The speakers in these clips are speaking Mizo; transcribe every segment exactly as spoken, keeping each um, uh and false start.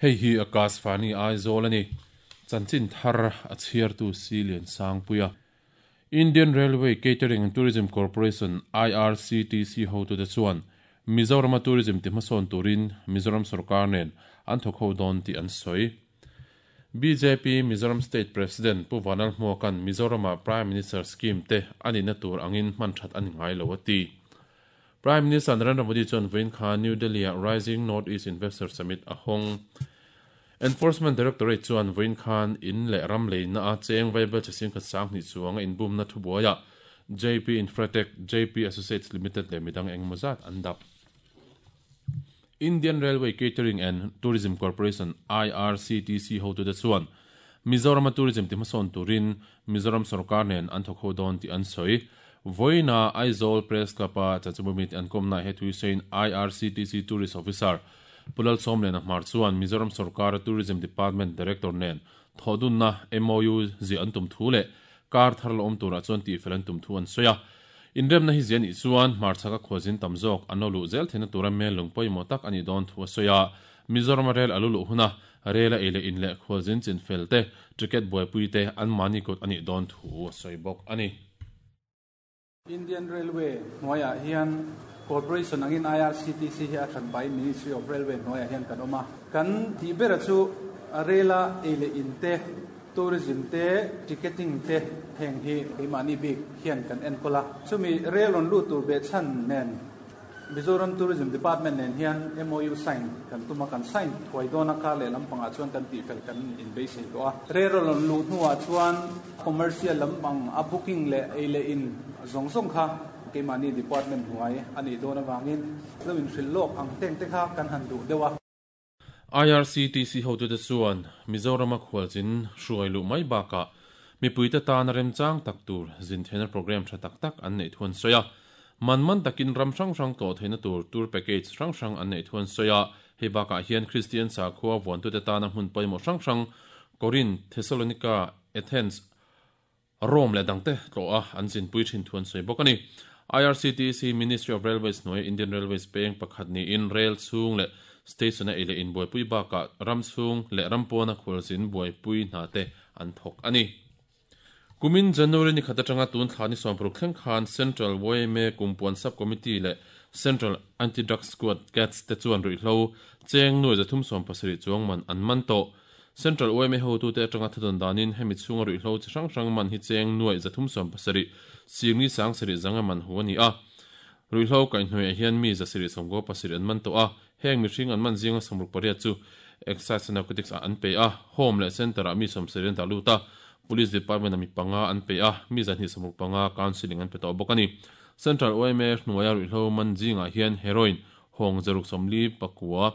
Hei hi Akashvani Aizawl ani. Chanchin thar a chhiartu Silian Sangpuia. Indian Railway Catering and Tourism Corporation I R C T C hotu te chuan Mizoram Tourism ti hmasawn turin Mizoram sarkar nen an thawk ho dawn tih an sawi. B J P Mizoram State President Pu Vanlalhmuaka'n Mizorama Prime Minister Scheme te ani na tur angin hman that ani ngai lo ati. Prime Minister Narendra Modi chuan vawiin khan New Delhi a Rising North East Investor Summit a hawng. Enforcement Directorate chuan vawiin khan in leh ram leina a cheng vaibelchhe singkhat sanghnih chuang a inbumna thubuaia J P Infratech, J P Associates Limited leh midang engmawzat an dap. Indian Railway Catering and Tourism Corporation I R C T C hotu te chuan Mizoram Tourism ti hmasawn turin Mizoram sarkar nen an thawk ho dawn tih an sawi. Vawiina Aizawl Press Club a chanchinbu an kawmna he thui sawiin I R C T C Tourist Officer Pu Lalsawmliana Hmar chuan Mizoram sarkar Tourism Department Director nen thodunna M O U zi an tum thu leh kar thar lo awm turah chuan tih fel an tum thu an sawi a. Inremna hi zian i chuan hmarchhaka khualzin tam zawk an lo luh zel theihna tura mel lung pawimawh tak ani dawn thu a sawi a. Mizoram rel alu luh huna rela ei leh in leh khualzin chin fel te ticket buaipui te an mani kut ani dawn thu a sawi bawk ani. Indian Railway hnuaiah hian corporation angin I R C T C hi a hran by Ministry of Railway hnuaiah hian kan awm a. Kan tih bera chu rela ei leh in te, tourism te, ticketing te, heng hi keimahni bik hian kan enkawl a. Chumi rail rawn lut tur beh chhan nen Mizoram Tourism Department nen hian M O U sign kan tuma, kan sign thuai dawn a. Kar leh lampangah chuan kan tih fel kan inbeisei tawh a. Rail rawn luh hnuah chuan commercial lampang a booking leh ei leh in zawng zawng kha keimahni department hnuai ani dawn awangin lo in hrilh lawk ang teng te kha kan han duh deuh a. I R C T C hotu te chuan Mizorama khualzin hruai luh mai bakah mipuite tan remchang tak tur zin theihna program tha tak tak an neih thuan sawi a. Man man takin ram hrang hrang tlawh theihna tur tour package hrang hrang an neih thuan sawi a. Hei bakah hian Christian sakhua vuantute tana hmun pawimawh hrang hrang Corinth, Thessalonica, Athens, Rome leh dangte tlawh a an zinpui thin thuan sawi bawk ani. I R C T C Ministry of Railways hnuai Indian Railways peng pakhat niin rail chhung leh station a ei leh in buaipui bakah ram chhung leh ram pawna khualzin buaipui hna te an thawk ani. Kumin January ni khat atanga tun thla ni sawmparuk thleng khan Central Y M A Kumpuan Sub Committee leh Central Anti-Drug Squad CATS te chuan ruihhlo cheng nuai zathum sawm pasarih chuang man an man tawh. Central Y M A hotu te atanga thadon danin hemi chhunga ruihhlo chi hrang hrang man hi cheng nuai zathum sawm pasarih singli sang sarih zanga man hu ani a. Ruihhlo kaihhnuaiah hian mi zasarih sawmkaw pasarih an man tawh a. Heng mihring an man zinga sawmruk pariat chu Excise and Narcotics ah an pe a, home leh center ah mi sawmsarih an dah lut a, Police Department a mi panga an pe a, mi zahnih sawmruk panga counselling an pe tawh bawk ani. Central Y M A hnuaia ruihhlo man zingah hian heroin hawng zaruk sawmli pakua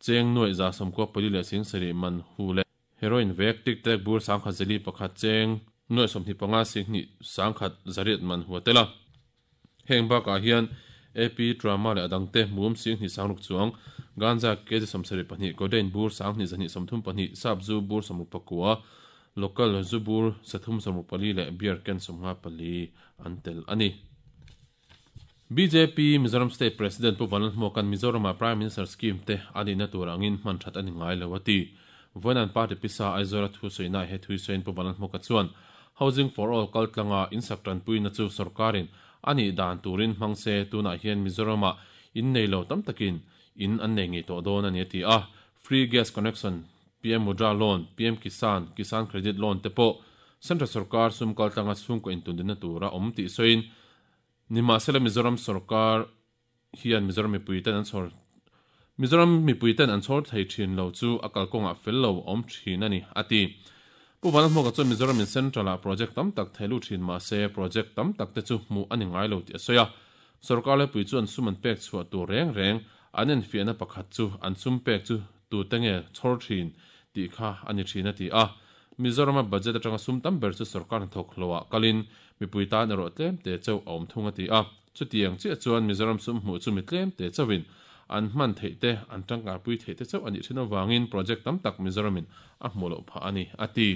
cheng nuai za sawmkaw pali leh sing sarih man hu leh heroin vek tic tac bur sangkhat zali pakhat cheng nuai sawmhnih panga singhnih sangkhat zariat man hu a tel a. Heng bakah hian A P drama leh adangte mum singhnih sangruk chuang, ganja kg sawmsarih pahnih, codeine bur sanghnih zahnih sawmthum pahnih, sap zu bur sawmruk pakua, local zu bur sathum sawmruk pali leh beer can sawmnga pali an tel ani. B J P Mizoram State President Pu Vanlalhmuaka'n Mizorama Prime Minister Scheme te ani na tur angin hman that ani ngai lo ati. Vawiin party pisa Aizawl thu sawiina he thui sawiin Pu Vanlalhmuaka chuan Housing for All kaltlanga insak tanpuina chu sarkarin ani dan turin hmangse, tunah hian Mizorama in nei lo tam takin in an nei ngei tawh dawn ani ati a. Free gas connection, P M Mudra Loan, P M Kisan, Kisan Credit Loan te pawh Central sarkar sum kaltlanga chhungkaw intundina tura awm tih sawiin, nimahsela Mizoram sarkar hian Mizoram mipuiten an chhawr Mizoram mipuiten an chhawr thei thin lo chu a kalkawngah fel lo awm thin ani ati. Pu Vanlalhmuaka chuan Mizoram in Central ah project tam tak theilu thin mahse project tam tak te chu hmuh ani ngai lo tih a sawi a. Sarkar lepui chuan sum an pek chhuah tur reng reng an enfiahna pakhat chu an sum pek chu tu te nge chhawr thin tih kha ani thin a ti a. Mizorama budget atanga sum tam ber chu sarkar hnathawk hloah kalin mipui tan erawh tlem te chauh a awm thung a ti a. Chutiang chiah chuan Mizoram sum hmuh chu mi tlem te chauhin an hman theih te, an tangkaipui theih te chauh ani thin awangin project tam tak Mizoramin a hmu loh phah ani a ti.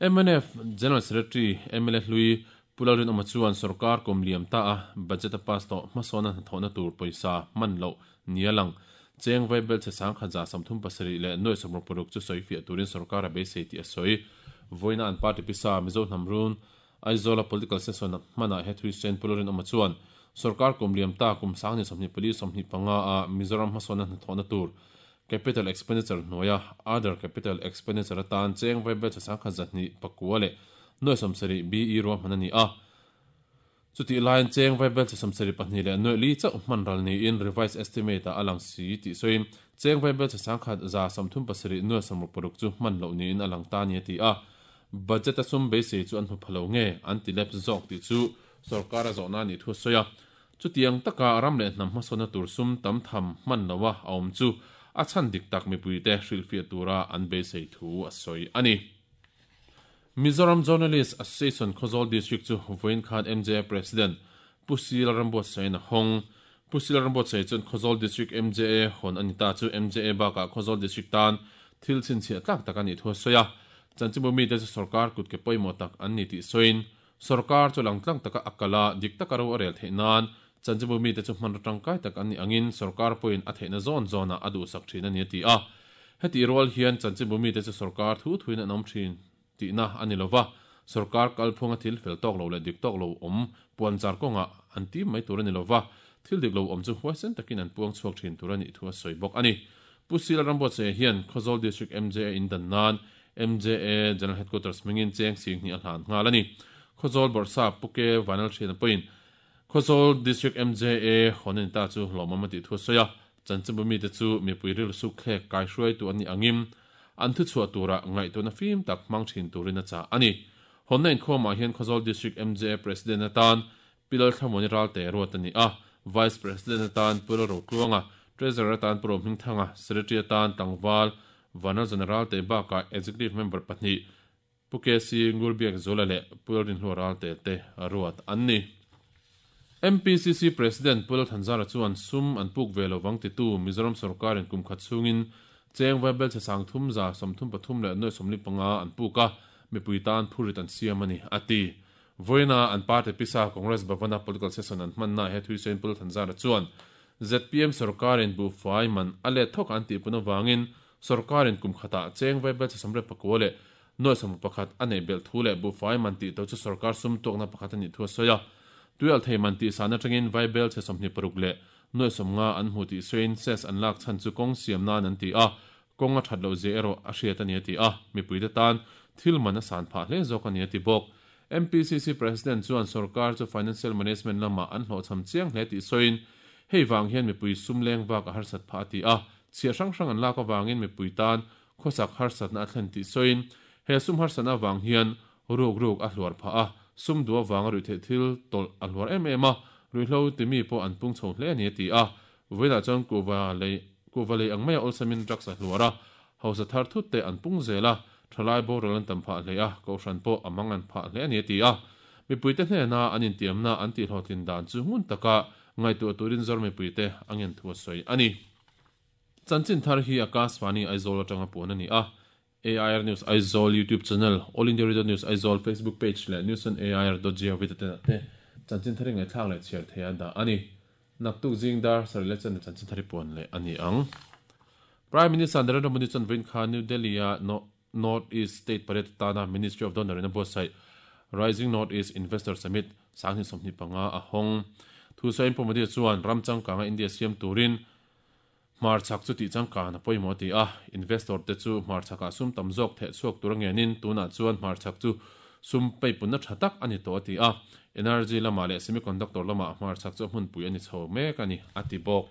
M N F General Secretary M L A hlui Pu Lalrinawma chuan sarkar kum liam ta a budget a pass tawh hmasawna hnathawhna tur pawisa hman loh nia lang. Cheng vaibel che sang khat za samthum pasarih leh nuai sawmruk paruk chu sawi fiah turin sorkar a beisei tih a sawi. Vawiina an party pisa Mizo hnam run Aizawla political session hmanah he thui sen Pu Lalrinawma chuan sorkar kum liam ta kum sang ni sawmhnih pali sawmhnih panga a Mizoram hmasawnna hnathawhna tur capital expenditure hnuaia other capital expenditure atan cheng vaibel che sang khat zahnih pakua leh nuai sawmsarih B E ruahman a ni a. Chuti lain cheng vaibel che sawmsarih pahnih leh nuai li chauh hman ral niin revised estimate a alang si tih sawiin cheng vaibel che sang khat za sawmthum pasarih nuai sawmruk paruk chu hman loh niin alang ta ni a ti a. Budget a sum beisei chu an hmu phalo nge an ti lep zawk tih chu sorkar a zawhna ni thu a sawi a. Chutiang taka ram leh hnam hmasawnna tur sum tam tham hman loa a awm chu a chhan dik tak mipuite hrilhfiah tura an beisei thu a sawi a ni. Mizoram Journalist Association Khawzawl District chu vawiin khan M J A President Pu Sil Rambuatsain a hawng. Pu Sil Rambuatsai chuan Khawzawl District M J A hawn a ni ta chu M J A bakah Khawzawl District tan thil chhinchhiah tlak tak a nih thu a sawi a. Chanchinbu mite chu sarkar kut ke pawimawh tak an ni tih sawiin sarkar chu langtlang taka a kala dik taka ro a rel theih nan chanchinbu mite chu hman tangkai tak an ni angin sarkar pawhin a theihna zawn zawna a duhsak thin a ni a ti a. Heti rual hian chanchinbu mite chu sarkar thu thuin an awm thin tihna a ni lova sarkar kalphunga thil fel tawk lo leh dik tawk lo awm puan char kawnga an tim mai tur a ni lova thil dik lo awm chu huaisen takin an puang chhuak thin tur a nih thu a sawi bawk a ni. Pu Sil Rambuatsaia hian Khawzawl District M J A in dan nan M J A General Headquarters mingin cheng sing hnih a hlan nghal a ni. Khawzawl Bawrhsap Puke Vanal Thian pawhin Khawzawl District M J A hawn a ni ta chu hlawmawm a tih thu a sawi a. Chanchinbu mite chu mipui rilru suk thlek kai hruai tu an ni angin an thu chhuah tura ngaihtuahna fim tak hmang thin turin a chah a ni. Hawnna inkhawmah hian Khawzawl District M J A President atan Pilal Thlamawni Ralte ruat a ni a. Vice President atan Pu Lalrotluanga, Treasurer atan Pu Rohmingthanga, Secretary atan Tlangval Vanal General te bakah Executive Member pahnih Pu K C Ngurbiak Zula leh Pu Lalrinhlua Ralte te ruat an ni. M P C C President Pu Lalthanzara chuan sum an puk ve lovang titu Mizoram sarkarin kum khat chungin cheng vaibel che sang thum za sawmthum pathum leh nuai sawmli panga an puk a mipui tan phurit an siam a ni a ti. Vawiina an party pisa Congress Bhavana political session an hmanna he thui sawiin Pu Lalthanzara chuan Z P M sarkarin buhfai man a let thawk an tih pun awangin sarkarin kum khatah cheng vaibel che sawmriat pakua leh nuai sawmruk pakhat a nei belh thu leh buhfai man tih to chu sarkar sum tuakna pakhat a nih thu a sawi a. Tuial thei man tih san atangin vaibel che sawmhnih paruk leh nuai sawmnga an hmu tih sawiin ses an lak chhan chu kawng siam nan an ti a. Kawng a that lo zia erawh a hriat a ni a ti a. Mipuite tan thil man a san phah hle zawk a ni a ti bawk. M P C C President chuan sarkar chu financial management lamah an hlawhchham chiang hle tih sawiin hei wang hian mipui sum leng vak a harsat phah a ti a. Chhiah hrang hrang an lak awangin mipui tan khawsak harsatna a thlen tih sawiin he sum harsatna awang hian ruk ruk a hluar phah a. Sum duh awanga ruih theih thil tawlh a hluar em em a. Ruihhlo timi pawh an pung chho hle a ni a ti a. Vawiinah chuan kuva lei kuva lei ang mai a awlsamin drugs a hluar a. Hausa thar thut te an pung zel a. Thalai boral an tam phah hle a. Kohhran pawh a mang an phah hle a ni a ti a. Mipuite hnena an intiamna an tih hlawhtlin dan chu ngun taka ngaihtuah turin zawr mipuite angen thu a sawi a ni. Chanchin thar hi Akashvani Aizawl atanga puan a ni a. A I R News Aizawl YouTube channel, All India Radio News Aizawl Facebook page leh news on A I R dot gov te te chanchin thari ngaihthlak leh chhiar thei a dah a ni. Naktuk zingdar sarih leh chan chanchin thari puan leh a ni ang. Prime Minister Narendra Modi chuan vawiin khan New Delhi a North East State Parade tana Ministry of Donor in a buatsaih Rising North East Investor Summit sanghnih sawmhnih panga a hawng. Thu sawiin Pu Modi chuan ram changkanga India siam turin hmar chak chu tih changkan a pawimawh ti a. Investor te chu hmar chakah sum tam zawk theh chhuak tur angenin tunah chuan hmar chak chu sum peipunna tha tak a ni tawh a ti a. Energy lamah leh semiconductor lamah hmar chak chu hmunpui a ni chho mek a ni a ti bawk.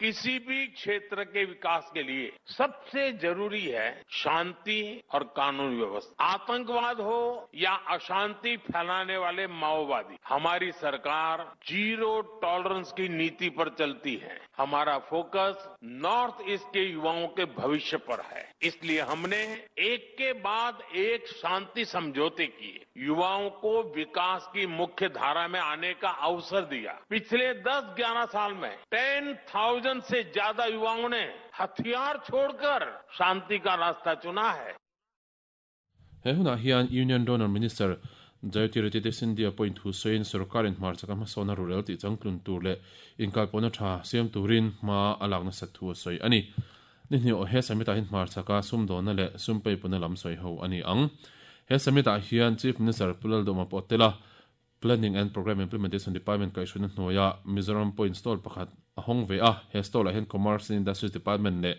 किसी भी क्षेत्र के विकास के लिए सबसे जरूरी है शांति और कानून व्यवस्था। आतंकवाद हो या अशांति फैलाने वाले माओवादी, हमारी सरकार जीरो टॉलरेंस की नीति पर चलती है। हमारा focus north east के युवाओं के भविष्य पर है, इसलिए हमने एक के बाद एक शांति समझौते किए, युवाओं को विकास की मुख्य धारा में आने का अवसर दिया। पिछले दस ग्यारह साल में टेन थाउजेंड से ज्यादा युवाओं ने हथियार छोड़कर शांति का रास्ता चुना है। He hunah hian Union Donor Minister Jyotiraditya Scindia point thu sawiin sorkarin hmarchhaka hmasawnna rural tih changtlun tur leh inkalpawhna tha siam turin hma a lakna sat thu a sawi a ni. Ni hnih aw he summit-ah hian hmarchhaka sumdawnna leh sumpeipuna lam sawi ho a ni ang. He summit-ah hian Chief Minister Pu Lalduhoma pawh tel a, Planning and Programme Implementation Department kaihhruaina hnuaia Mizoram Point Stall pakhat a hawng ve a, he stall-ah hian Commerce and Industries Department leh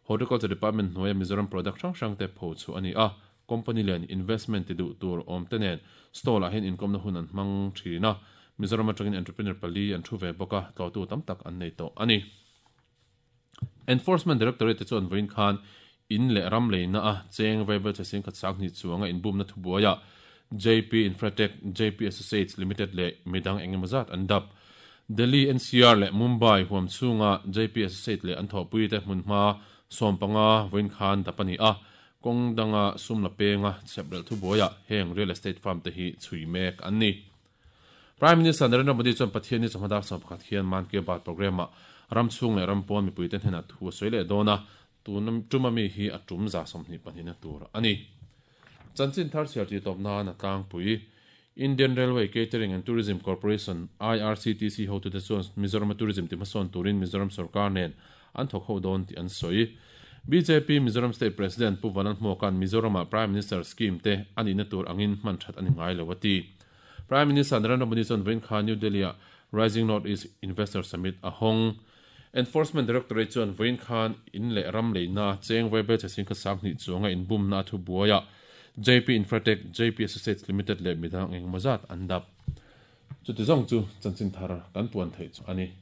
Horticulture Department hnuaia Mizoram product hrang hrang te pho chu a ni a, company len investment ti duh tur awm te nen stall-ah hian inkawmna hun an hmang thin a, Mizoram atangin entrepreneur pali an thu ve bawk a, tlawhtu tam tak an nei tawh a ni. Enforcement Directorate te chuan vawiin khan in leh ram leina a cheng vaibel che sing khat sang hnih chuanga inbumna thubuaiah J P Infratech, J P Associates Limited leh midang engemaw zat an dap. Delhi N C R leh Mumbai huam chhunga J P Associates leh an thawhpui te hmunhma sawm panga vawiin khan dap a ni a, kawng danga sum la penga chheprelh thubuaiah heng real estate firm te hi chhui mek an ni. Prime Minister Narendra Modi chuan Pathian ni chawhma dar sawm pakhat hian Mann Ki Baat programme-ah ram chhung leh ram pawn mipui te hnenah thu a sawi leh dawn a, tun tuma mi hi a tum za sawmhnih pahnihna tur a ni. Chanchin thar chhiar ti tawp nan a tlangpui. Indian Railway Catering and Tourism Corporation I R C T C hotute chuan Mizoram Tourism ti hmasawn turin Mizoram sarkar nen an thawk ho dawn tih an sawi. B J P Mizoram State President Pu Vanlalhmuaka'n Mizorama Prime Minister scheme te ani na tur angin hman that ani ngai lo a ti. Prime Minister Narendra Modi chuan vawiin khan New Delhi-ah Rising North East Investor Summit a hawng. Enforcement Directorate chuan vawiin khan in leh ram leina cheng vaibel che sing khat sang hnih chuanga inbumna a thubuaiah J P Infratech, J P Associates Limited leh midang engemaw zat an dap. Chuti zawng chu chanchin thar kan puan theih chu a ni.